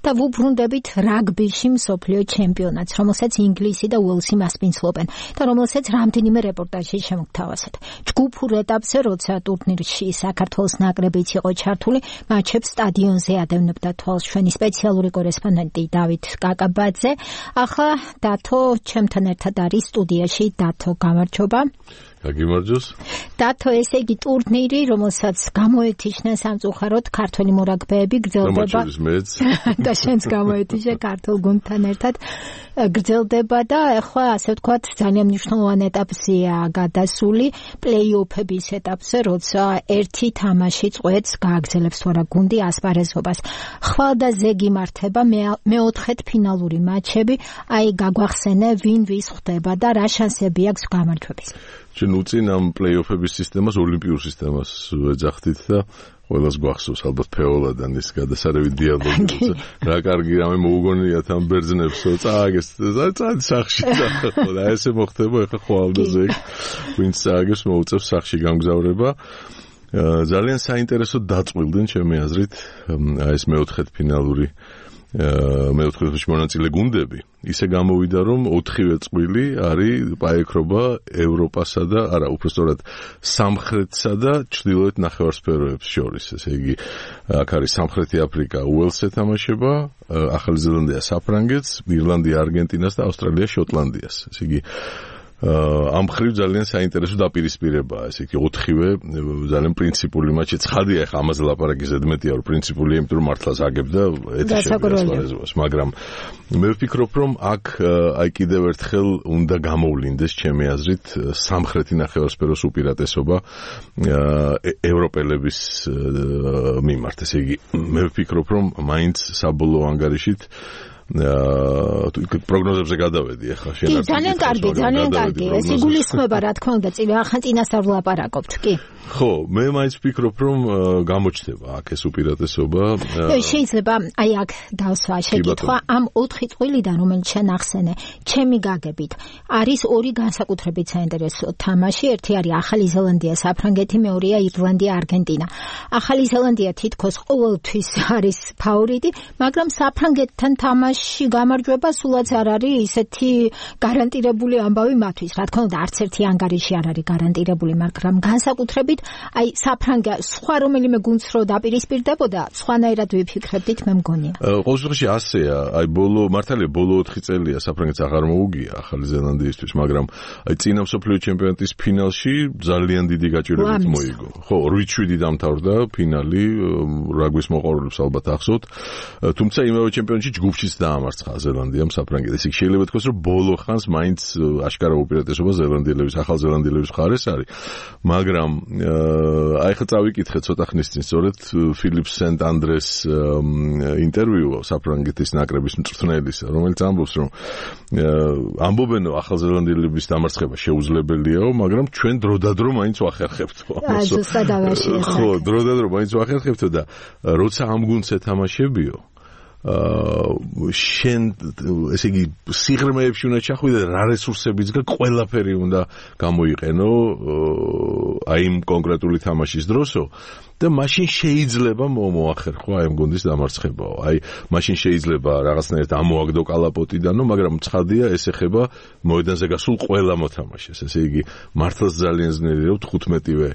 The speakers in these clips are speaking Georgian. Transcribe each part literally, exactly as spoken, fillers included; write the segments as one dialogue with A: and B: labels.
A: და ვუბრუნდებით რაგბიში მსოფლიო ჩემპიონატს, რომელსაც ინგლისი და უელსი მასპინძლობენ და რომელსაც რამდენიმე რეპორტაჟში შემოგთავაზეთ. ჯგუფურ ეტაპზე, როცა ტურნირში საქართველოს ნაკრებიც იყო ჩართული, მაჩებს სტადიონზე ადევნებდა თვალს ჩვენი სპეციალური კორესპონდენტი დავით კაკაბაძე. ახლა დათო ჩემთან ერთად არის სტუდიაში. დათო, გამარჯობა.
B: გაგიმარჯოს.
A: დათო, ესე იგი ტურნირი, რომელსაც გამოეთიშნენ სამწუხაროდ ქართველი მორაგბეები, გრძელდება და შენც გამოეთიშე ქართულ გუნდთან ერთად გრძელდება და ახლა ასე ვთქვათ ძალიან მნიშვნელოვან ეტაპზეა გადასული, პლეი-ოფების ეტაპზე, როცა ერთი თამაში წყვეტს გააგრძელებს თუ არა გუნდი ასპარეზობას. ხვალ და ზეგი მართება მეოთხედ ფინალური მატჩები, აი გაგვახსენე ვინ ვის ხვდება და რა შანსები აქვს გამარჯვების.
B: ჩვენ უწინ ამ პლეი-ოფების სისტემას ოლიმპიურ სისტემას ეძახდით და ყველას გვახსოვს ალბათ ფეოლადან ის გადასარევი დიალოგი. რა კარგი რამე მოუგონიათ ამ ბერძნებსო, წააგეს წადი სახში და ესე მოხდება ახლა ხვალ და ზეგ ვინც წააგებს მოუწევს სახში გამგზავრება. ძალიან საინტერესო დაწყვილდნენ ჩემი აზრით აი ეს მეოთხედფინალური მეოთხედფინალში მონაწილე გუნდები. ისე გამოვიდა რომ ოთხივე წყვილი არის პაექრობა ევროპასა და არა უბრალოდ სამხრეთსა და ჩრდილოეთ ნახევარსფეროებს შორის. ესე იგი აქ არის სამხრეთი აფრიკა უელსს ეთამაშება, ახალი ზელანდია საფრანგეთს, ირლანდია არგენტინას და ავსტრალია შოტლანდიას. ესე იგი ამ ხრივ ძალიან საინტერესო დაპირისპირებაა. ესე იგი ოთხივე ძალიან პრინციპული მატჩი. ცხადია ახლა ამაზე ლაპარაკი ზედმეტია რომ პრინციპულია, იმიტომ რომ მართლაც აგებდა ეთიშებას, მაგრამ მე ვფიქრობ რომ აქ აი კიდევ ერთხელ უნდა გამოვლინდეს ჩემი აზრით სამხრეთი ნახევარსფეროს უპირატესობა ევროპელების მიმართ. ესე იგი მე ვფიქრობ რომ მაინც საბოლოო ანგარიშით პროგნოზებზე გადავედი ახლა შენ არ
A: ძალიან კარგი, ძალიან კარგი. ეს იგულისხმება რა თქმა უნდა, ახლა წინასწარ ვლაპარაკობთ, კი?
B: ხო, მე მაინც ვფიქრობ რომ გამოჩნდება აქ ეს უპირატესობა.
A: შეიძლება აი აქ დავსვა შეკითხვა ამ ოთხი წვლიდან, რომელიც შენ ახსენე, ჩემი გაგებით არის ორი განსაკუთრებით საინტერესო თამაში. ერთი არის ახალი ზელანდია, საფრანგეთი, მეორეა ირლანდია, არგენტინა. ახალი ზელანდია თითქოს ყოველთვის არის ფავორიტი, მაგრამ საფრანგეთთან თამაში გამარჯვება სულაც არ არის ისეთი გარანტირებული ამბავი მათთვის. რა თქმა უნდა, არც ერთი ანგარიში არ არის გარანტირებული, მაგრამ განსაკუთრებით აი საფრანგა სხვა რომელიმე გუნდს რო დაპირისპირდებოდა, სხვანაირად ვიფიქრებდით, მე მგონია.
B: ყოველ შემთხვევაში ასეა, აი ბოლო მართალია ბოლო ოთხი წელია საფრანგეთს აღარ მოუგია ახალი ზელანდიისთვის, მაგრამ აი წინა მსოფლიო ჩემპიონატის ფინალში ძალიან დიდი გაჭირვებით მოიგო. ხო, ორი შვიდი დამთავრდა ფინალი, რაგბის მოყვარულებს ალბათ ახსოვთ. თუმცა იმავე ჩემპიონატში ჯგუფშიც დაამარცხა ზელანდიამ საფრანგეთს. ისე შეიძლება თქოს რომ ბოლო ხანს მაინც აშკარა უპირატესობა ზელანდიელების, ახალ ზელანდიელების მხარეს არის. მაგრამ აი ხა წავიკითხე ცოტა ხნის წინ სწორედ ფილიპ სენტ-ანდრეს ინტერვიუ საფრანგეთის ნაკრების მწვრთნელის, რომელიც ამბობს რომ ამბობენ ახალზელანდიელების დამარცხება შეუძლებელიაო, მაგრამ ჩვენ დროდადრო მაინც ვახერხებთო. ხო, დროდადრო მაინც ვახერხებთო და როცა ამ გუნდს ეთამაშებიო აა შენ ესე იგი სიღრმეებში უნდა ჩახვიდე რა რესურსებიც გა ყველაფერი უნდა გამოიყენო აი იმ კონკრეტული თამაშის დროსო და მაშინ შეიძლება მოახერხო აი ამ გუნდის დამარცხებაო. აი მაშინ შეიძლება რაღაცნაირად ამოაგდო კალაპოტიდანო, მაგრამ ცხადია ეს ეხება მოედანზე გასულ ყველა მოთამაშეს. ესე იგი მართლაც ძალიან ძნელი რომ თხუთმეტივე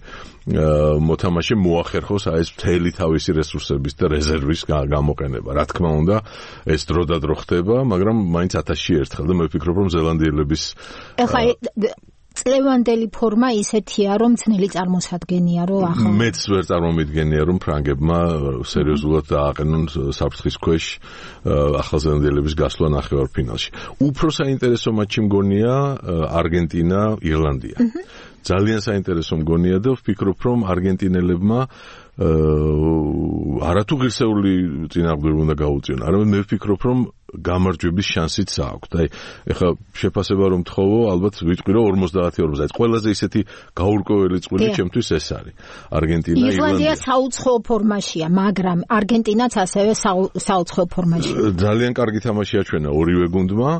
B: მოთამაშე მოახერხოს აი ეს მთელი თავისი რესურსების და რეზერვის გამოყენება. რა თქმა უნდა, ეს დროდადრო ხდება, მაგრამ მაინც ათასში ერთხელ და მე ვფიქრობ რომ ზელანდიელების
A: ეხლა წლევანდელი ფორმა ისეთია, რომ ძნელი წარმოსადგენია, რომ ახლა
B: მეც ვერ წარმომიდგენია, რომ ფრანგებმა სერიოზულად დააყენონ საფრთხის ქვეშ ახალზელანდიელების გასვლა ნახევარფინალში. უფრო საინტერესო მატჩი მგონია არგენტინა, ირლანდია. ძალიან საინტერესო მგონია და ვფიქრობ, რომ არგენტინელებმა არათუ ღირსეული წინააღმდეგობა უნდა გაუწიონ. არამედ მე ვფიქრობ, რომ გამარჯვების შანსიც აქვთ. აი, ეხლა შეფასება რომ თხოვო, ალბათ ვიტყვი რომ ორმოცდაათი ორმოცდაათი. ყველაზე ისეთი გაურკვეველი წვლილი ჩემთვის ეს არის. არგენტინა, ირლანდია.
A: ირლანდია საუცხოო ფორმაშია, მაგრამ არგენტინაც ასევე საუცხოო ფორმაშია.
B: ძალიან კარგი თამაში აჩვენა ორივე გუნდმა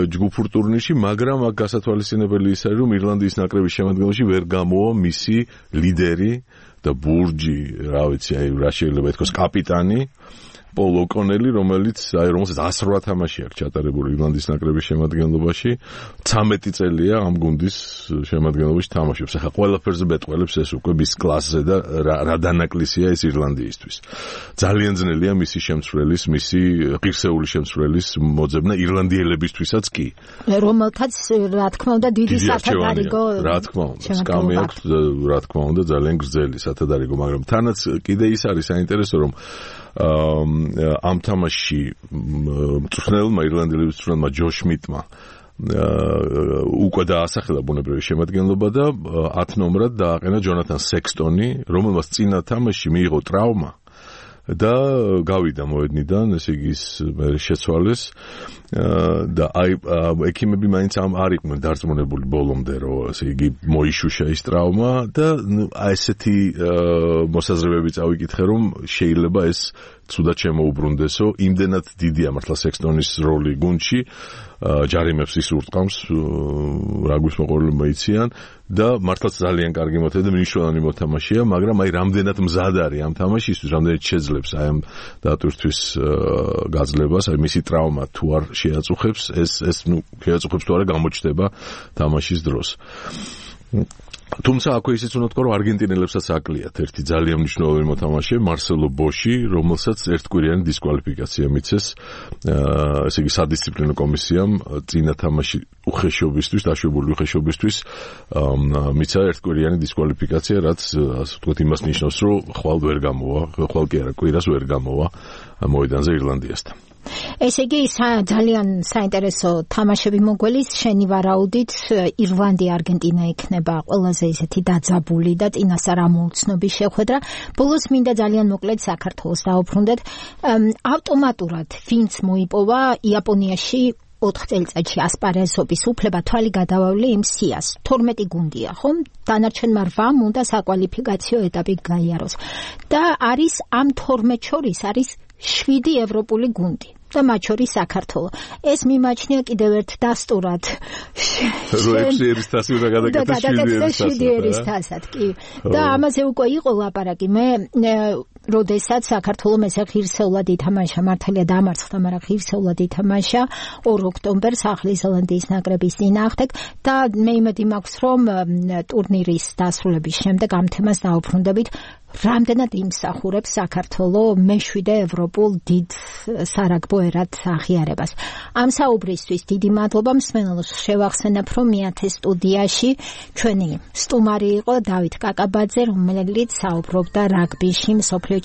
B: ჯგუფურ ტურნირში, მაგრამ აქ გასათვალისწინებელი ის არის, რომ ირლანდიის ნაკრების შემადგენლობაში ვერ გამოვა მისი ლიდერი და ბურჯი, რა ვიცი, აი რა შეიძლება ითქვას, კაპიტანი პოლ ოკონელი, რომელიც აი რომელსაც one hundred eight თამაში აქვს ჩატარებული ირლანდიის ნაკრების შემადგენლობაში, ცამეტი წელია ამ გუნდის შემადგენლობაში თამაშობს. ახლა ყველაფერზე ბეტყველებს ეს უკვე მის კლასზე და რა დანაკლისია ეს ირლანდიისთვის. ძალიან ძნელია მისი შემცვლელის, მისი ღირსეული შემცვლელის მოძებნა ირლანდიელებისთვისაც კი.
A: რომელთაც რა თქმა უნდა დიდი სათადარიგო
B: რა თქმა უნდა, სკამი აქვს, რა თქმა უნდა, ძალიან გრძელი სათადარიგო, მაგრამ თანაც კიდე ის არის საინტერესო, რომ ამ თამაშში მწვრთნელმა ირლანდიელების მწვრთნელმა ჯოშ შმიტმა უკვე დაასახელა ბუნებრივი შემადგენლობა და ათ ნომრად დააყენა ჯონათან სექსტონი, რომელმაც წინა თამაშში მიიღო ტრავმა და გავიდა მოედნიდან, ესე იგი ის შეცვალეს და აი ექიმები მაინც ამ არ იყვნენ დარწმუნებული ბოლომდე, რომ ესე იგი მოიშუშა ის ტრავმა და აი ესეთი მოსაზრებები წავიკითხე, რომ შეიძლება ეს ცუდად შემოუბრუნდესო, იმდენად დიდია მართლა სექსტონის როლი გუნდში, ჯარიმებს ის ურტყამს, რა გვისმოყოლებმა იციან და მართლაც ძალიან კარგი მოთამაშე და მნიშვნელოვანი მოთამაშეა, მაგრამ აი რამდენად მზად არის ამ თამაშისთვის, რამდენად შეძლებს აი ამ დატვირთვის გაძლებას, აი მისი ტრავმა თუ არ შეაწუხებს, ეს ეს ნუ შეაწუხებს თუ არა გამოჩნდება თამაშის დროს. თუმცა აქვე ისიც უნდა თქვა, რომ არგენტინელებსაც აკლიათ ერთი ძალიან მნიშვნელოვანი მოთამაშე, მარსელო ბოში, რომელსაც ერთკვირიანი დისკვალიფიკაცია მიცეს, ესე იგი სადისციპლინო კომისიამ წინა თამაში უხეშობისთვის, დაშვებული უხეშობისთვის მიცა ერთკვირიანი დისკვალიფიკაცია, რაც ასე ვთქვათ იმას ნიშნავს, რომ ხვალ ვერ გამოვა, ხვალ კი არა, კვირას ვერ გამოვა მოედანზე ირლანდიასთან.
A: ესე იგი ძალიან საინტერესო თამაშები მოგველის, შენი ვარაუდით ირლანდია არგენტინა იქნება ყველაზე ისეთი დაძაბული და წინასწარ რა მოუცნობი შეხვედრა. ბოლოს მინდა ძალიან მოკლედ საქართველოს დავუბრუნდეთ. ავტომატურად ვინც მოიპოვა იაპონიაში ოთხ წელიწადში ასპარეზობის უფლება, თვალი გადავავლე იმ სიას. თორმეტი გუნდია, ხომ? დანარჩენმა რვამ უნდა საკვალიფიკაციო ეტაპი გაიაროს. და არის ამ თორმეტ შორის არის შვიდი ევროპული გუნდი. და მათ შორის საქართველო. ეს მიმაჩნია კიდევ ერთ დასტურად.
B: როექსი ერისთასი უნდა გადაკეთდეს შვიდი
A: ერისთასად, კი. და ამაზე უკვე იყო ლაპარაკი. მე როდესაც საქართველო ესე ღირსეულად ითამაშა, მართალია დამარცხდა, მაგრამ ღირსეულად ითამაშა ორ ოქტომბერს ახალი ზელანდიის ნაკრების წინააღმდეგ და მე იმედი მაქვს, რომ ტურნირის დასრულების შემდეგ ამ თემას დავუბრუნდებით. რამდენად იმსახურებს საქართველო მეშვიდე ევროპულ დიდ სარაგბო ერად აღიარებას. ამ საუბრისთვის დიდი მადლობა, მსმენელს შევახსენებ, რომ მეათე სტუდიაში ჩვენი სტუმარი იყო დავით კაკაბაძე, რომელიც საუბრობდა რაგბიში მსოფლიო